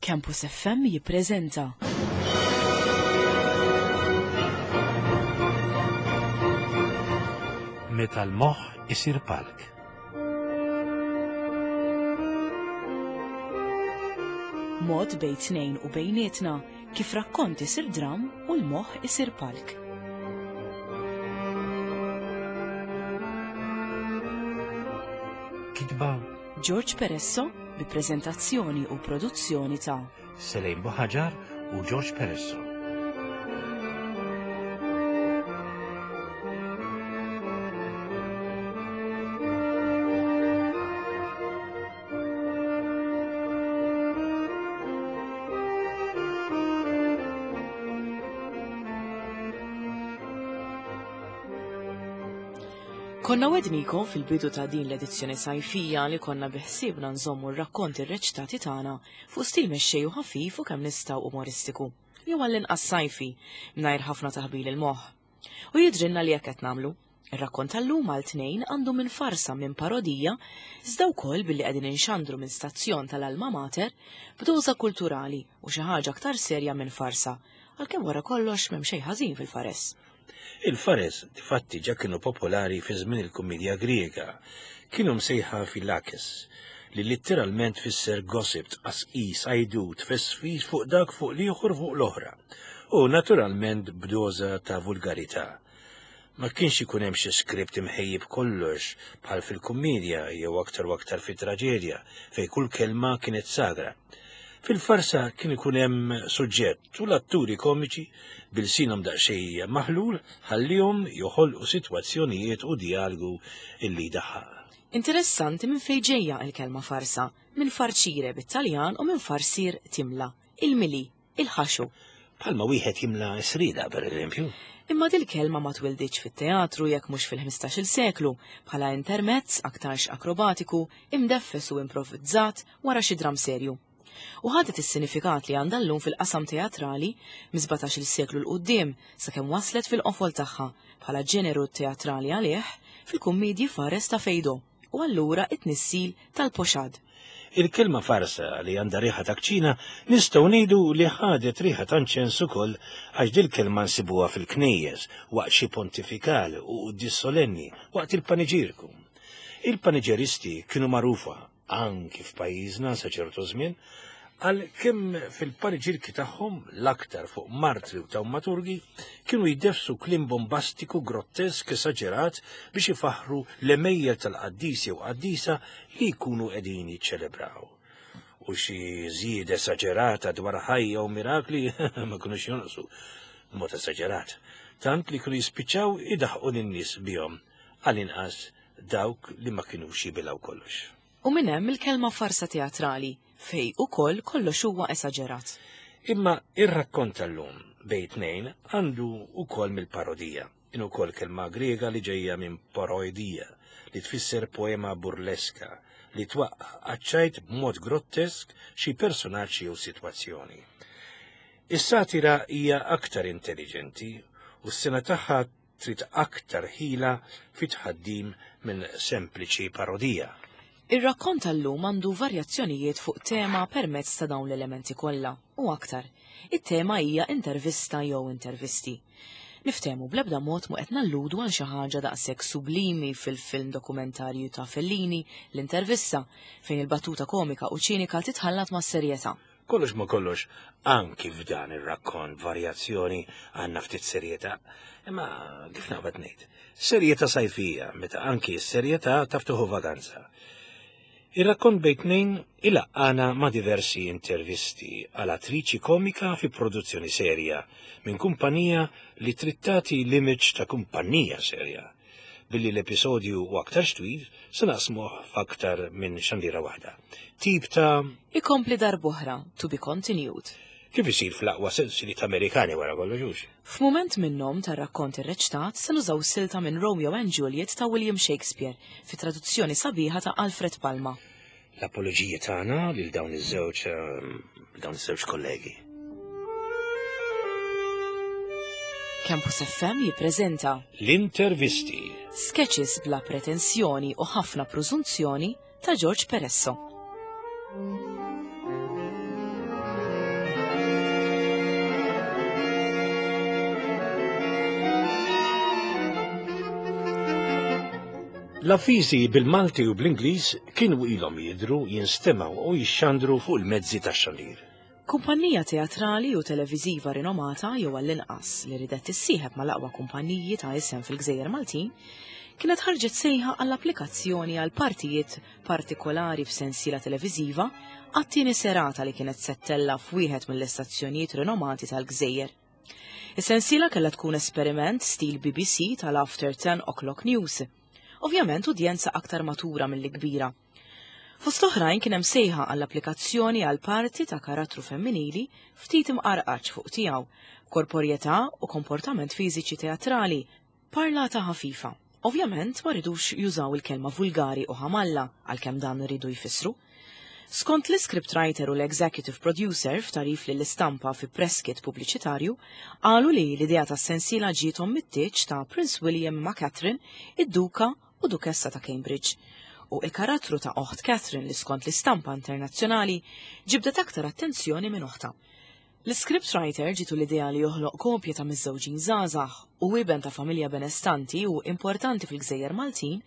Campus FM jippreżenta. Meta l-moħħ isir palk. Mod bejn tnejn u bejnietna kif rakkont isir dram u l-moħħ isir palk. Kitba George Peresso bi preżentazzjoni u produzzjoni ta' Selejn Buħaġar u George Peresso. Konna wednikom fil-bidu ta' din l-edizzjoni sajfija li konna biħsiebna nżommu r-rakkonti rreċtati tagħna fuq stil mexxej u ħafif u kemm nistgħu umoristiku, jew għall-inqas sajfi, mingħajr ħafna taħbil il-moħħ. U jidhrilna li hekk qed nagħmlu. Ir-rakkont tal-lum għal tnejn għandu minn farsa minn parodija, iżda wkoll billi qegħdin inxandru minn stazzjon tal-Alma Mater b'doża kulturali u xi ħaġa aktar serja minn farsa, għalkemm wara kollox m'hemm xejn ħażin fil-fares. Il-fares difatti ġa kienu popolari fi żmien il-kummedja Griega. Kienu msejħa filakes, li litteralment tfisser gossip, tqasqis, għajdut, tfesfis fuq dak fuq l-ieħor fuq l-oħra. U naturalment b'doża ta' vulgarità. Ma kienx ikun hemm xi skript imħejji b'kollox bħal fil-kummedja jew aktar u aktar fit-traġedja fejn kull kelma kienet sagra. Fil-farsa kien ikun hemm suġġett u l-atturi komiċi bilsinhom daqsxejn maħlul ħallihom joħolqu sitwazzjonijiet u dialgu illi jdaħħaq. Interessanti minn fejn ġejja l-kelma farsa, minn farcire bit-Taljan u minn farsir timla, il-mili, il-ħaxu. Bħalma wieħed jimla srida, per eżempju. Imma dil-kelma ma twilditx fit-teatru jekk mhux fil-15-il seklu, bħala intermezz aktarx akrobatiku, imdeffes u improvvizzat wara xi dram serju. U ħadet is-sinifikat li għandha llum fil-qasam teatrali mis-17-il seklu 'l quddiem sakemm waslet fil-qofol tagħha bħala ġeneru teatrali għalih fil-kummiedji fares ta' Feydeau u allura t-tnissil tal-pochade. Il-kelma farsa li għandha riħa ta' kċina nistgħu ngħidu li ħadet riħa ta' nċens ukoll għax dil-kelma nsibuha fil-knejjes waqt xi pontifikal u quddies solenni waqt il-paniġierku. Il-paniġeristi kienu magħrufa anki f'pajjiżna sa ċertu żmien, għal kemm fil-paniġirki tagħhom l-aktar fuq martri u tawmaturgi kienu jdefsu kliem bombastiku, grottesk, esaġerat biex ifaħħru l-għemejjel tal-qaddis jew qaddisa li jkunu qegħdin jiċċelebraw. U xi żjieda esaġerata dwar ħajja u mirakli ma kinux jonqsu b'mod esaġerat, tant li kienu jispiċċaw idaħqu lin-nies bihom, għall-inqas dawk li ma kinux jibilgħu kollox. U minn hemm il-kelma farsa teatrali, fejn ukoll kollox huwa esaġerat. Imma ir-rakkont tal-lum bejn tnejn għandu wkoll mill-parodija, in ukoll kelma Griega li ġejja minn paroidia, li tfisser poema burleska li twaqqa' għaċ-ċajt b'mod grottesk xi personaġġ jew sitwazzjoni. Is-satira hija aktar intelliġenti u s-sena tagħha trid aktar ħila fit-tħaddim minn sempliċi parodija. Ir-rakkont tal-lum għandu varjazzjonijiet fuq tema permezz ta' dawn l-elementi kollha, u aktar. It-tema hija intervista jew intervisti. Niftehmu bl-ebda mod mhu qed nalludu għal xi ħaġa daqshekk sublimi fil-film dokumentarju ta' Fellini, L-Intervista, fejn il-battuta komika u ċinika titħallat mas-serjetà. Kollox ma' kollox, anki f'dan ir-rakkont varjazzjoni għandna ftit serjetà. Imma kif naqbad ngħid, serjetà sajfija meta anki s-serjetà taf tieħu vaganza. Ir-rakkont bejn tnejn ilaqqana ma' diversi intervisti għal attriċi komika fi produzzjoni serja minn kumpanija li trid tagħti l-image ta' kumpanija serja. Billi l-episodju hu aktarx twil, se naqsmuh f'aktar minn xandira waħda. Tip ta' Ikompli darb'oħra, to be continued. Kif isir fl-aqwa sensiliet Amerikani wara kollox hux? F'mument minnhom tar-rakkont irreċtat se nużaw silta minn Romeo and Juliet ta' William Shakespeare fi traduzzjoni sabiħa ta' Alfred Palma. L-apoloġiji tagħna lil dawn iż-żewġ dawn iż-żewġ kollegi. Campus FM jippreżenta L-intervisti. Sketches bla pretensjoni u ħafna prużunzjoni ta' George Peresso. L-avviżi bil-Malti u bl-Ingliż kienu ilhom jidhru, jinstemgħu u jixxandru fuq il-mezzi tax-xandir. Kumpanija teatrali u televiżiva rinomata jew għall-inqas li ridet tissieħeb mal-aqwa kumpaniji ta' isem fil-Gżejjer Maltin, kienet ħarġet sejħa għall-applikazzjoni għal partijiet partikolari f'sensiela televiżiva għat-tieni serata li kienet se ttella' f'wieħed mill-istazzjonijiet rinomati tal-Gżejjer. Is-sensiela kellha tkun esperiment stil BBC tal-After 10 O'Clock News. Ovvjament udjenza aktar matura milli kbira. Fost oħrajn kien hemm sejħa għall-applikazzjoni għal parti ta' karattru femminili ftit imqarqaċ fuq tiegħu, b'korporjetà u komportament fiżiċi teatrali, parlata ħafifa. Ovvjament ma ridux jużaw il-kelma vulgari u ħamalla għalkemm dan riedu jfissru. Skont l-iscript writer u l-executive producer f'tagħrif lill-istampa fi press kit pubbliċitarju, qalu li l-idea tas-sensiela ġiethom mit-tieġ ta' Prince William ma' Catherine, id-Duka u Dukessa ta' Cambridge, u il-karattru ta' oħt Catherine li skont l-istampa internazzjonali ġibdet aktar attenzjoni minn oħtha. L-iscript writer ġietu l-idea li joħloq kopja ta' miżżewġin żgħażagħ u iben ta' familja benestanti u importanti fil-gżejjer Maltin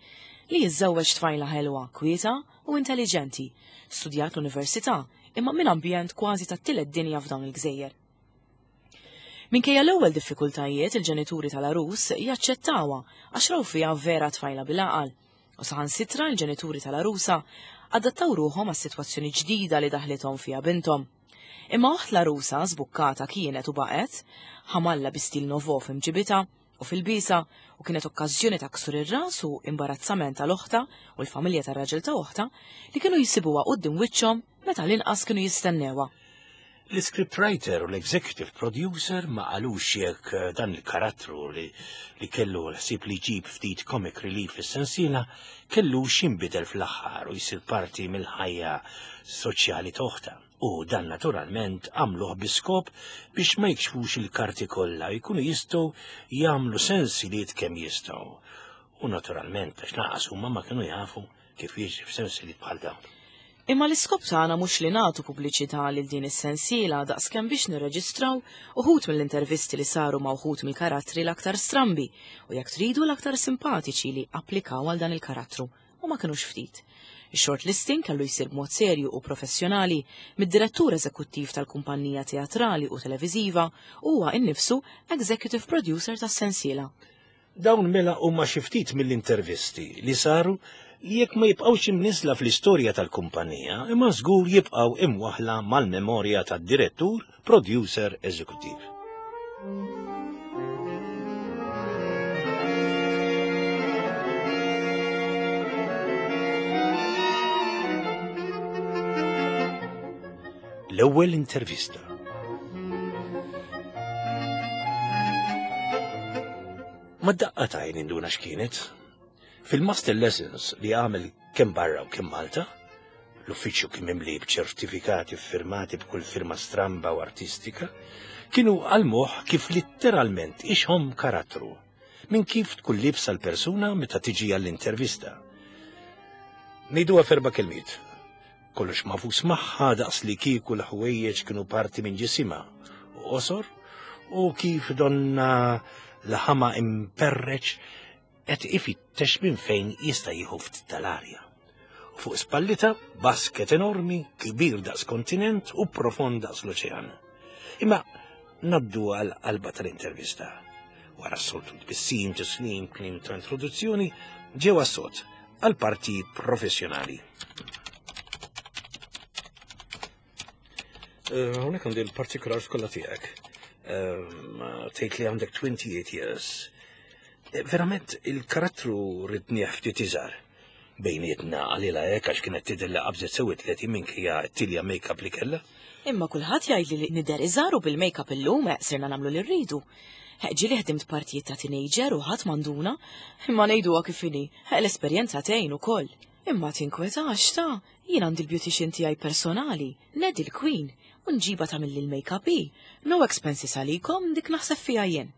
li jiżżewweġ tfajla ħelwa, kwieta u intelliġenti, studjat l-università imma minn ambjent kważi tat-tielet dinja f'dawn il-gżejjer. Minkejja l-ewwel diffikultajiet, il-ġenituri tal-għarus jaċċettawha għax raw fiha vera tfajla bil-għaqal. U saħansitra l-ġenituri tal-għarusa adattaw ruħhom għas-sitwazzjoni ġdida li daħlithom fiha binthom. Imma oħt l-għarusa żbukkata kienet u baqgħet, ħamalla bi stil novo f'imġibitha u fil-bisa u kienet okkażjoni ta' ksur ir-ras u imbarazzament għal oħtha u l-familja tar-raġel ta' oħtha li kienu jsibuha quddiem wiċċhom meta l-inqas kienu jistennewha. L-iscriptwriter u l-executive producer ma qalux jekk dan il-karattru li, li kellu l-ħsieb li jġib ftit comic relief fis-sensiela kellux jinbidel fl-aħħar u jsir parti mill-ħajja soċjali t'oħtha. U dan naturalment għamluh bi skop biex ma jikxfux il-karti kollha jkunu jistgħu jagħmlu sensiliet kemm jistgħu. U naturalment għax lanqas huma ma kienu jafu kif jiġri f'sensiliet bħal dawn. Imma l-iskop tagħna mhux li nagħtu pubbliċità lil din is-sensiela daqskemm biex nirreġistraw uħud mill-intervisti li saru ma' uħud mill-karattri l-aktar strambi u jekk tridu l-aktar simpatiċi li applikaw għal dan il-karattru u ma kinux ftit. Ix-shortlisting kellu jsir b'mod serju u professjonali mid-direttur eżekuttiv tal-kumpanija teatrali u televiżiva u huwa innifsu executive producer tas-sensiela. Dawn mela huma xi ftit mill-intervisti li saru li jekk ma jibqgħux imniżżla fl-istorja tal-kumpanija, imma żgur jibqgħu imwaħħla mal-memorja tad-direttur producer eżekuttiv. L-ewwel intervista. Ma daqqa tajn induna x'kienet. Fil-master lessons li għamel kemm barra u kemm Malta, l-uffiċċju kien mimli b'ċertifikati ffirmati b'kull firma stramba u artistika, kienu għallmuh kif litteralment ixħom karattru minn kif tkun liebsa l-persuna meta tiġi għall-intervista. Ngħiduha f'erba' kelmiet. Kollox magħfus magħha daqs li kieku l-ħwejjeġ kienu parti minn ġisimha u qosor u kif donna l-ħama imperreċ qed ifittex minn fejn jista' jieħu ftit tal-arja. U fuq spallita basket enormi, kbir daqs kontinent u profond daqs l-oċean. Imma naddu għal qalba tal-intervista. Wara s-soltu tbissim, tislim, kliem ta' introduzzjoni, ġew għas-sod għal parti professjonali. Eh, hawnhekk għandi l-particulars kollha tiegħek. Eh, tgħid li għandek 28 years. Eh, verament il-karattru ridnieh ftit iżgħar. Bejnietna għalila hekk għax kienet tidher li qabżet sew it-30 minkejja t-tilja make-up li kellha. Imma kulħadd jgħidli li nidher iżgħar u bil-make-up illum sirna nagħmlu li rridu. Ġieli ħdimt partijiet ta' teenager u ħadd m'għanduna, imma ngħiduha kif inhi, l-esperjenza tgħin ukoll. Imma tinkwetax ta' jien għandi l-beautician tiegħi personali, Ned il-Queen, u nġibha tagħmilli l-make-up hi. No expenses għalikom, dik naħseb fiha jien.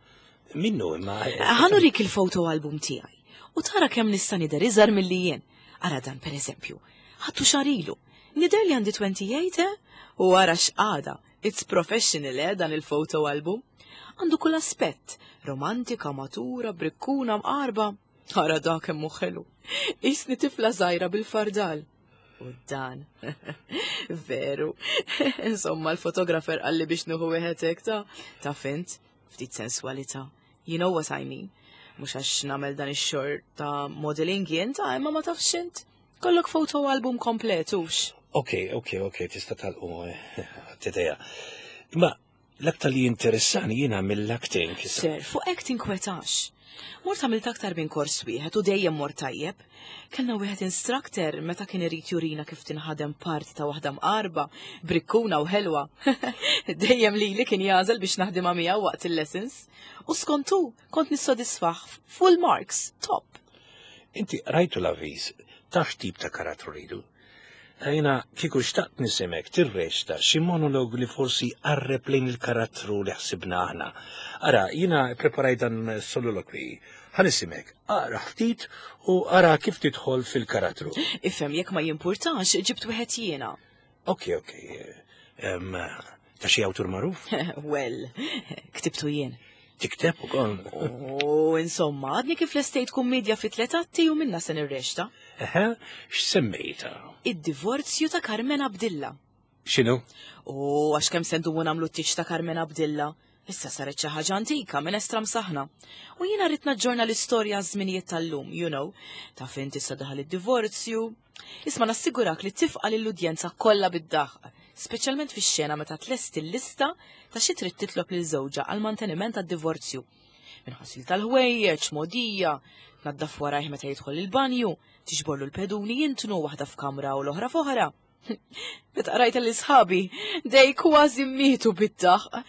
Minnu imma. Ħa nurik il-photo album tiegħi u tara kemm nista' nidher iżgħar milli jien. Ara dan pereżempju. Ħadtu xahar ilu. Nidher li għandi 28, eh? U ara x'qagħda. It's professional, eh, dan il-photo album. Għandu kull aspett, romantika, matura, brikkuna, mqarba. Ara dak kemm hu ħelu. Isni tifla żgħira bil-fardal. U dan. Veru. Insomma, l-fotografer qalli biex nuħu wieħed hekk ta' ta' fint, ftit senswalità. You know what I mean. Mhux għax nagħmel dan ix-xor ta' modeling jien ta' imma ma tafx int. Kollok foto album komplet hux. Ok, ok, ok, tista' talqu t-teja. Imma L-aktar li jinteressani jiena mill-acting. Sir, fuq hekk tinkwetax. Mort għamilt aktar minn kors wieħed u dejjem mort tajjeb. Kellna wieħed instructor meta kien irid jurina kif tinħadem parti ta' waħda mqarba, brikkuna u ħelwa. Dejjem lili kien jagħżel biex naħdimha miegħu waqt il-lessons. U skont hu, kont nissodisfah full marks, top. Inti rajtu l-avviż, taf x'tip ta' karattru rridu? Jiena kieku xtaqt nisimek tirreċta xi monolog li forsi jqarreb lejn il-karattru li ħsibna aħna. Ara, jiena ppreparajt dan soliloquy. Ħa nisimek, aqra ftit u ara kif tidħol fil-karattru. Ifhem jekk ma jimpurtax, ġibt wieħed jiena. Ok, ok. Ta' xi awtur magħruf? Well, ktibtu jien. Tikteb ukoll. U insomma, għadni kif lestejt kummedja fi tliet atti u minna se nirrexta. Eħe, x'semmejta? Id-divorzju ta' Carmen Abdilla. X'inhu? U għax kemm se ndumu nagħmlu t-tieġ ta' Carmen Abdilla. Issa saret xi ħaġa antika, minestra msaħna. U jiena rrid naġġorna l-istorja għaż-żminijiet tal-lum, you know. Taf int issa daħal id-divorzju. Isma' nassigurak li tifqa' lill-udjenza kollha bid-daħq, speċjalment fix-xena meta tlesti l-lista ta' xi trid titlob lil żewġha għall-manteniment tad-divorzju. Minn ħasil tal-ħwejjeġ, mogħdija, tnaddaf warajh meta jidħol il-banju, tiġborlu l-peduni jintnu waħda f'kamra u l-oħra f'oħra. Meta qrajt lil sħabi, dej kważi mietu bid-daħq.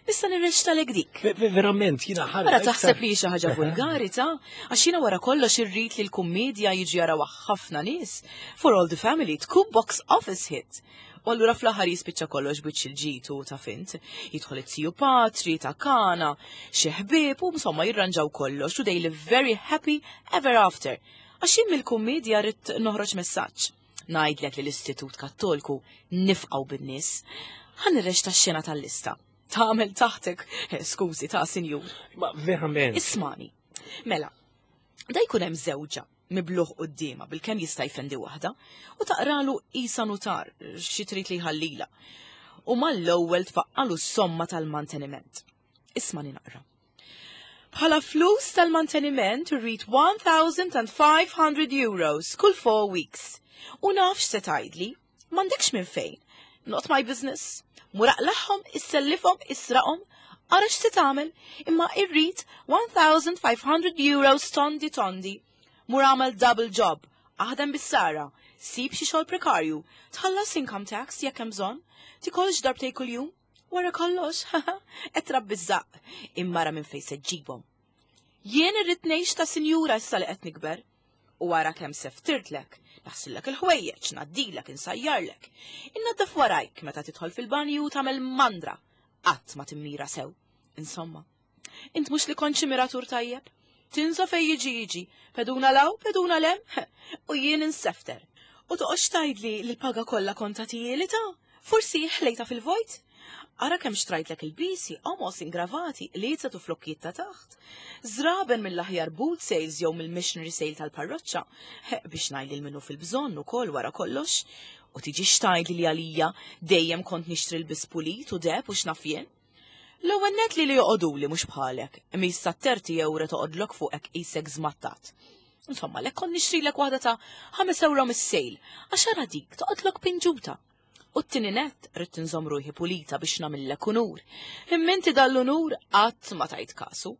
Issa nirreċtalek dik. Verament, jiena ħarġ. Ara taħseb li xi ħaġa vulgari ta' għax jiena wara kollox irrid li l-kummedja jiġi jaraw ħafna nies. For all the family tkun box office hit. U allura fl-aħħar jispiċċa kollox biċ il-ġid u ta' fint. Jidħol it-tiju patri, ta' kana, xi ħbieb u insomma jirranġaw kollox u they live very happy ever after. Għax jien mill-kummedja rrid noħroġ messaġġ. Ngħidlek li l-Istitut Kattolku nifqgħu bin-nies. Ħa nirreċta x-xena tal-lista. Tagħmel taħtek, eh, skużi ta' sinjur. Ma verament. Ismani. Mela, da jkun hemm żewġa mibluħ quddiema bil-kemm jista' jfendi waħda u taqralu isa nutar xi trid li jħallila. U mal-ewwel tfaqqalu s-somma tal-manteniment. Ismani naqra. Bħala flus tal-manteniment rrid 1,500 euros kull 4 weeks. U naf x'se tgħidli, m'għandekx minn fejn. Not my business. Mur aqlagħhom, issellifhom, israqhom, ara x'se tagħmel, imma irrid 1,500 euros tondi tondi. Mur agħmel double job, aħdem bis-sara, sib xi xogħol prekarju, tħallas income tax jekk hemm bżonn, tikolx darbtejn kuljum. Wara kollox, qed trabbi ż-żaqq, imma ara minn fejn se ġġibhom. Jien irrid ngħix ta' sinjura issa li qed nikber. U ara kemm se ftirtlek, naħsillek il-ħwejjeġ, ngħaddilek, insajjarlek. Innaddaf warajk meta tidħol fil-banju u tagħmel mandra. Qatt ma timmira sew. Insomma, Int mhux li kont xi miratur tajjeb? Tinsa fej jiġi jiġi, peduna law, peduna lem, u jien insefter. U toqgħodx tgħidli li l-paga kollha kont tagħtihieli ta' forsi ħlejta fil-vojt? Ara kemm xtrajtlek il-bisi, qomos, ingravati, qliezet u flokkijiet ta' taħt. Żraben mill-aħjar boot sales jew mill-missionary sale tal-parroċċa, biex ngħid lil minnu fil-bżonn ukoll wara kollox. U tiġix tgħidli li għalija dejjem kont nixtri l-biss pulit u deheb u x'naf jien. L-ewwel nett li li joqogħduli mhux bħalek, imma issa terti ewre toqgħodlok fuqek qisek żmattat. Insomma, lek kont nixtrilek waħda ta' 5 euro mis-sejl, għax ara dik toqgħodlok pinġuta. U t-tieni nett rrid inżomm ruħi pulita biex nagħmillek unur. Imma inti dal-unur qatt ma tajt kasu.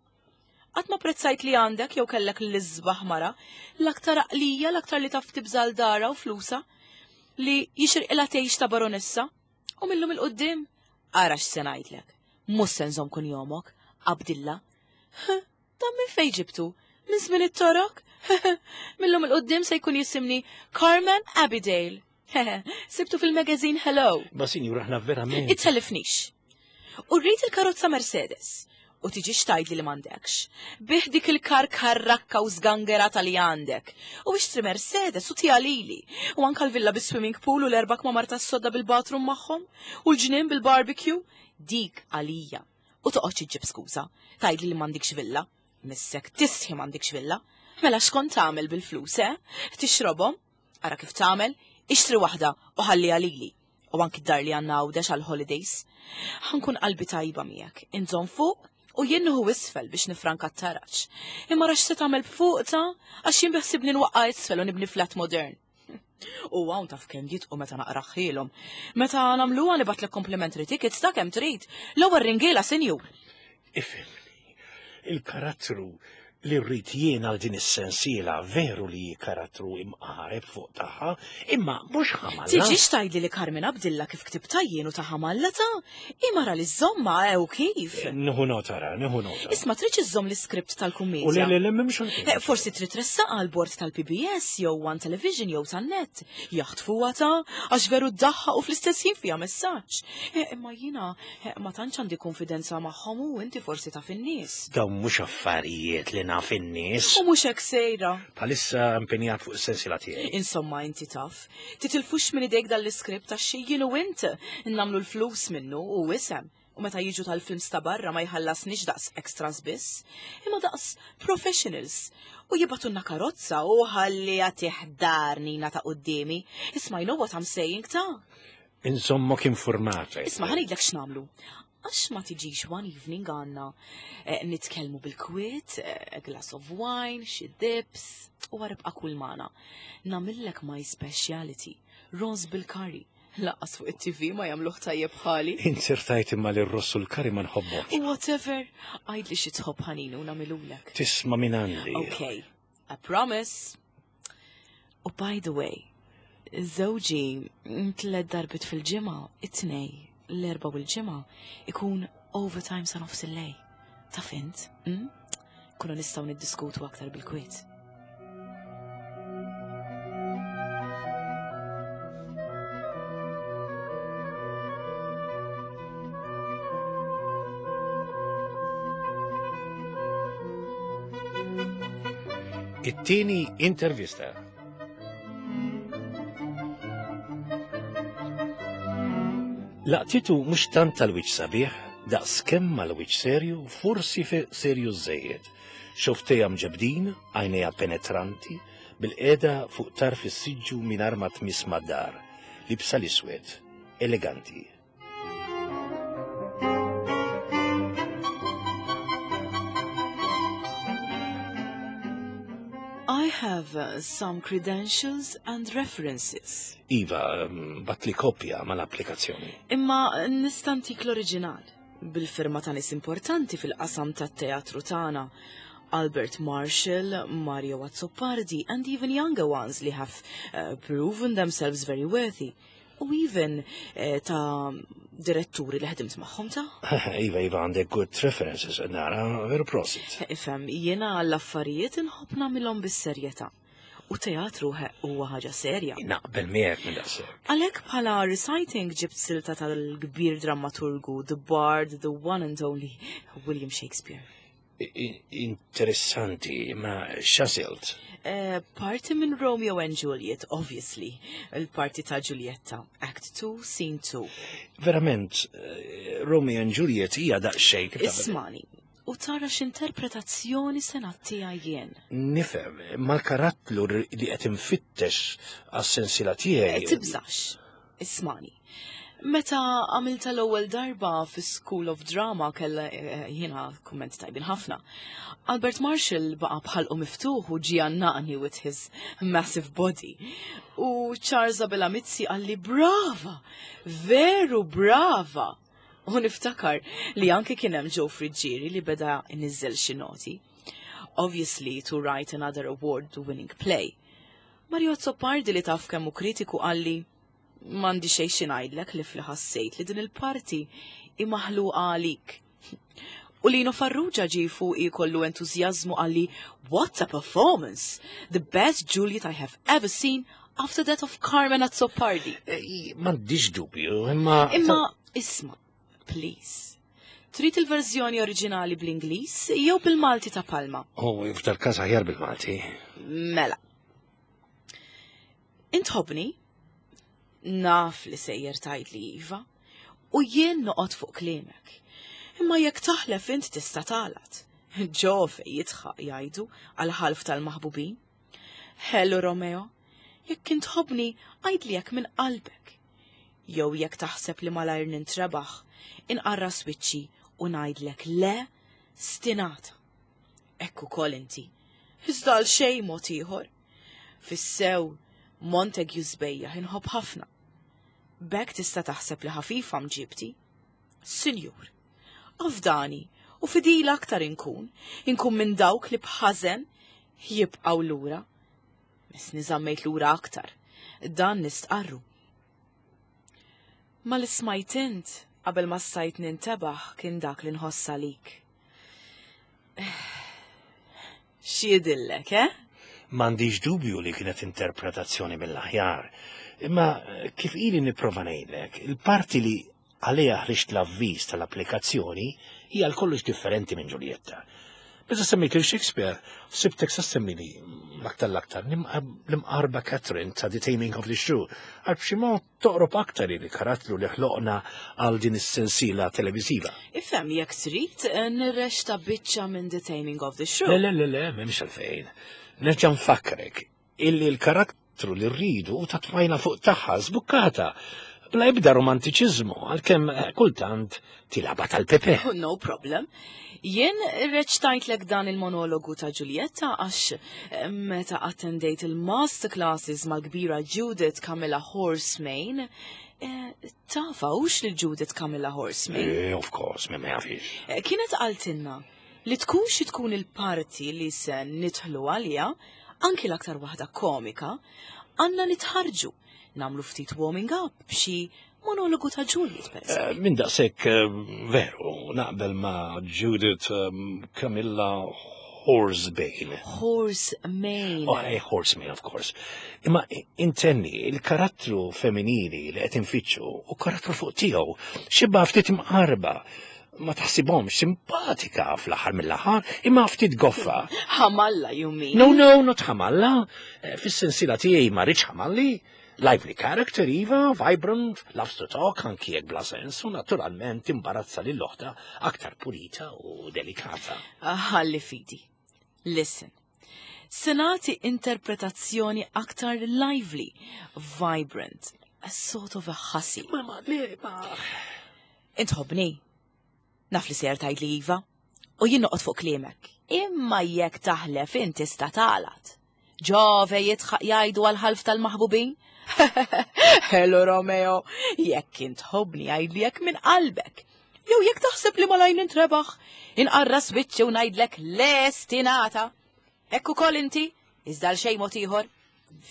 Qatt ma prezzajt li għandek jew kellek l-isbaħ mara, l-aktar għaqlija, l-aktar li taf tibżal dara u flusa, li jixirqilha tgħix ta' baronessa. U millum il-qudiem, ara x'se ngħidlek. Mhux se nżomm kunjomok, Abdilla. Dan minn fejn ġibtu? Minn żmien it-torok? Millum il-qudiem se jkun jisimni Carmen Abidale. Sibtu fil-magazine Hello. Ma sinjura aħna verament. Itellifnix. U rrid il-karozza Mercedes. U tiġix tgħidli li m'għandekx. Bih dik il-kar karrakka u żgangerata li għandek. U ixtri Mercedes u tiha lili. U anka l-villa bis-swimming pool u l-erba' kmamar tas-sodda bil-bathroom magħhom. U l-ġnien bil-barbecue. Dik għalija. U toqgħodx iġġib skuża. Tgħidli li m'għandikx villa. Missek tistħi m'għandikx villa. Mela x'kont tagħmel bil-flus, eh? Tixrobhom? Ara kif tagħmel, ixtri waħda u ħalliha lili. U anki d-dar li għandna Għawdex għall-holidays. Ħa nkun qalbi tajba miegħek, inżomm fuq u jien nieħu isfel biex nifranka t-taraġ. Imma ra x'se tagħmel b'fuq ta' għax jien biħsibni nwaqqa' isfel u nibni flat modern. U hawn taf kemm jitqu meta naqraħħilhom. Meta nagħmluha nibgħatlek complimentary tickets ta' kemm trid. L-ewwel ringiela, sinjur. Ifhimni, il-karattru li rrid jien għal din is-sensiela veru li hi karattru imqareb fuq tagħha, imma mhux ħamalla. Tiġix tgħidli li Carmen Abdilla kif ktibtha jien u ta' ħamalla ta' imara li żżommha ew kif. Nieħu nota ra, nieħu nota. Isma' tridx iżżomm l-iskript tal-kummedja. U le le le m'hemmx għalfejn. Eh, forsi trid tressaqha għall bord tal-PBS jew One Television jew tan-net. Jaħtfuha ta' għax veru ddaħħaq u fl-istess ħin fiha messaġġ. Eh, imma jiena eh, ma tantx għandi konfidenza magħhom u inti forsi taf in-nies. Dawn mhux affarijiet li naf in-nies. U mhux hekk sejra. Bħalissa impenjat fuq is-sensiela tiegħi. Insomma inti taf. Titilfux minn idejk dan l-iskript għax jien u int nagħmlu l-flus minnu u isem. U meta jiġu tal-films ta' barra ma jħallasniex daqs extras biss, imma daqs professionals. U jibgħatulna karozza u ħalli tiħdar nina ta' quddiemi. Isma' you know what I'm saying ta'? Inżommok informata. Isma' ħa ngħidlek x'nagħmlu. Għax ma tiġix one evening għandna nitkellmu bil-kwiet, a glass of wine, xi dips, u għaribqa kull magħna. Nagħmillek my speciality, ross bil-curry. Laqqas fuq it-TV ma jagħmluh tajjeb bħali. Inzertajt imma li r-ross u l-curry ma nħobbhomx. Whatever, għidli xi tħobb ħanin u nagħmilulek. Tisma' minn għandi. Okay, I promise. U by the way, żewġi tliet darbiet fil-ġimgħa, it-tnej, l-erba' u l-ġimgħa, ikun overtime sa nofs il-lejl. Taf int, hm? Kunu nistgħu niddiskutu aktar bil-kwiet. It-tieni intervista. Laqtitu mhux tant tal-wiċċ sabiħ, daqs kemm mal-wiċċ serju, forsi serju żejjed. Xofftejha mġebbdin, għajnejha penetranti, bilqiegħda fuq tarf is-siġġu mingħajr ma tmiss mad-dar, libsa l-iswed, eleganti. I have some credentials and references. Iva, batli kopja mal-applikazzjoni. Imma nista' ntik l-oriġinal, bil-firma ta' nies importanti fil-qasam tat-teatru tagħna. Albert Marshall, Mario Azzopardi, and even younger ones li have proven themselves very worthy. U even eh, ta' diretturi li ħdimt magħhom ta' Iva, iva, għandek good references, nara, veru prosit. Ifhem, jiena l-affarijiet inħobb nagħmilhom bis-serjetà. U teatru huwa ħaġa serja. Naqbel miegħek minn daqshekk. Għalhekk bħala reciting ġibt silta tal-kbir drammaturgu, the bard, the one and only William Shakespeare. Interessanti, ma x'għażilt? Eh, parti minn Romeo and Juliet, obviously. Il-parti ta' Giulietta, Act 2, Scene 2. Verament, eh, Romeo and Juliet hija daqsxejn. Ismani, u tara x'interpretazzjoni se nagħtiha jien. Nifhem, mal-karattru li qed infittex għas-sensiela tiegħi. Eh, tibżax, ismani. Meta għamilta l-ewwel darba fi School of Drama kella eh, jiena kumment tajbin ħafna. Albert Marshall baqa' bħalqu miftuħ u ġie għannaqni with his massive body. U Charles Abela Mizzi qalli brava, veru brava. U niftakar li anke kien hemm Joe Friggieri li beda iniżżel xi noti. Obviously to write another award-winning play. Mario Azzopardi li taf kemm hu kritiku qalli m'għandi xejn xi ngħidlek li fli ħassejt li din il-parti hi maħluqa għalik. U Lino Farrugia ġie fuqi kollu entużjażmu qalli what a performance! The best Juliet I have ever seen after that of Carmen Azzopardi. Eh, m'għandix dubju, imma. Imma isma', please. Trid il-verżjoni oriġinali bl-Ingliż jew bil-Malti ta' Palma? Oh, f'dal każ aħjar bil-Malti. Mela. Intħobni? Naf li sejjer tgħidli iva, u jien noqgħod fuq kliemek. Imma jekk taħlef int tista' tagħlat. Ġove jidħaq jgħidu għal ħalf tal-maħbubin. Hello Romeo, jekk int tħobbni għidli hekk minn qalbek. Jew jekk taħseb li malajr nintrebaħ, inqarras wiċċi u ngħidlek le stinata. Hekk ukoll inti. Iżda għal xejn mod ieħor. Fis-sew Montague sbejjaħ inħobb ħafna. B'hekk tista' taħseb li ħafifa mġibti. Sinjur, afdani u fidila aktar inkun, inkun minn dawk li b'ħażen jibqgħu lura. Misni żammejt lura aktar, dan nistqarru. Ma li smajt int qabel ma stajt nintebaħ kien dak li nħoss għalik. X'jidhirlek, eh? M'għandix dubju li kienet interpretazzjoni mill-aħjar. Imma kif ili nipprova ngħidlek, il-parti li għaliha ħriġt l-avviż tal-applikazzjoni hija għal kollox differenti minn Giulietta. Meta semmejt lil Shakespeare, sibtek sa semmili l-aktar l-aktar l-imqarba Catherine ta' The Taming of the Shrew, għal b'xi mod toqrob aktar il-karattru li ħloqna għal din is-sensiela televiżiva. Ifhem jekk trid nirreċta biċċa minn The Taming of the Shrew. Le, le, le, le, m'hemmx għalfejn. Nerġa' nfakkrek illi l-karattru li rridu u ta' tfajla fuq tagħha żbukkata bla ebda romantiċiżmu għalkemm kultant tilgħabha tal-Pepe. Oh, no problem. Jien reċtajtlek dan il-monologu ta' Giulietta għax meta attendejt il-masterclasses mal-kbira Judith Camilla Horsemain, tafha hux lil Judith Camilla Horsemain? Of course, ma jafix. Kienet qaltilna li tkun xi tkun il-parti li se nidħlu għalija, anki l-aktar waħda komika, għandna nitħarġu, nagħmlu ftit warming up b'xi monologu ta' Juliet, per eżempju. Minn daqshekk veru, naqbel ma' Judith Camilla Horsebane. Horsemain. Oh, Horsemain, of course. Imma intenni, il-karattru femminili li qed infittxu u karattru fuq tiegħu, xibba ftit imqarba, ma taħsibhomx simpatika fl-aħħar mill-aħħar, imma ftit goffa. Ħamalla, you mean? No, no, not ħamalla. Fis-sensiela tiegħi ma rridx ħamalli. Lively character, iva, vibrant, loves to talk, anki jekk bla sens, u naturalment imbarazza lil oħtha aktar pulita u delikata. Ħalli fidi. Listen. Se nagħti interpretazzjoni aktar lively, vibrant, a sort of a hussy. Ma, le, ma. Int tħobbni. Naf li ser tgħidli iva, u jien noqgħod fuq kliemek. Imma jekk taħlef inti tista' tagħlat. Ġove jidħaq jgħidu għal-ħalf tal-maħbubin. Hello Romeo, jekk int tħobbni għidli hekk minn qalbek. Jew jekk taħseb li malajr nintrebaħ, inqarras wiċċi u ngħidlek le stinata. Hekk ukoll inti, iżda l xejn mod ieħor.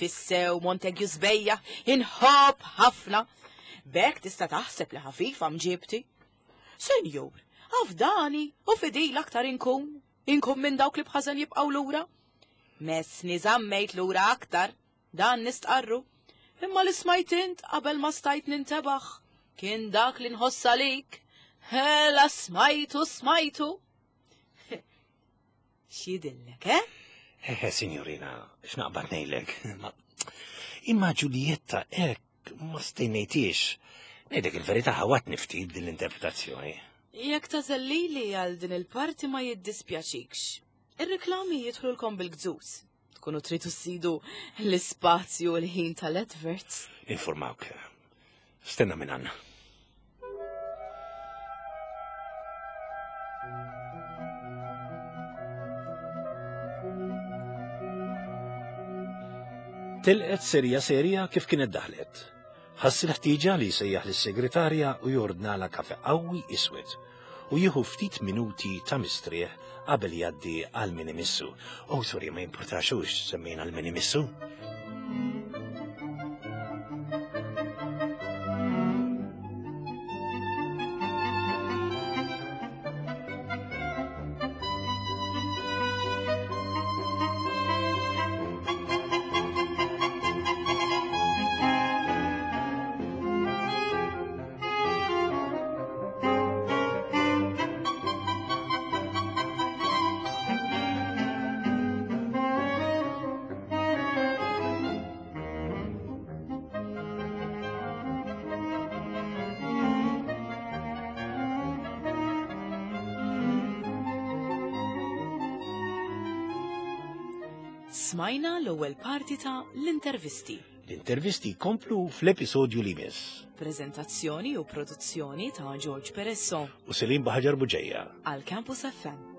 Fissew Montague sbejjaħ, inħobb ħafna. B'hekk tista' taħseb li ħafifa mġibti. Senjur, afdani u fidil aktar inkun, inkun minn dawk li b'ħażen jibqgħu lura. Messni żammejt lura aktar, dan nistqarru. Imma li smajt int qabel ma stajt nintebaħ, kien dak li nħoss għalik. Hela smajtu, smajtu. X'jidhirlek, eh? Eh, signorina, x'naqbad ngħidlek. Imma Giulietta hekk ma stennejtix. Ngħidlek il-verità ħawwadtni ftit din l-interpretazzjoni. Jekk tagħżel lili għal din il-parti ma jiddispjaċikx. Ir-reklami jidħlulkom bil-gżuż. Tkunu tridu ssidu l-ispazju u l-ħin tal-adverts. Informawk. Stenna minn għandna. Telqet serja serja kif kienet daħlet. Ħass il-ħtieġa li jsejjaħ lis-segretarja u jordnala kafe qawwi iswed u jieħu ftit minuti ta' mistrieħ qabel jgħaddi għal min imissu. Oh, sorry, ma jimpurtaxux semmejna għal min imissu. Smajna l-ewwel parti ta' l-intervisti. L-intervisti jkomplu fl-episodju li jmiss. Preżentazzjoni u produzzjoni ta' George Peresso U Selim Baħaġar Buġeja. għal Campus FM.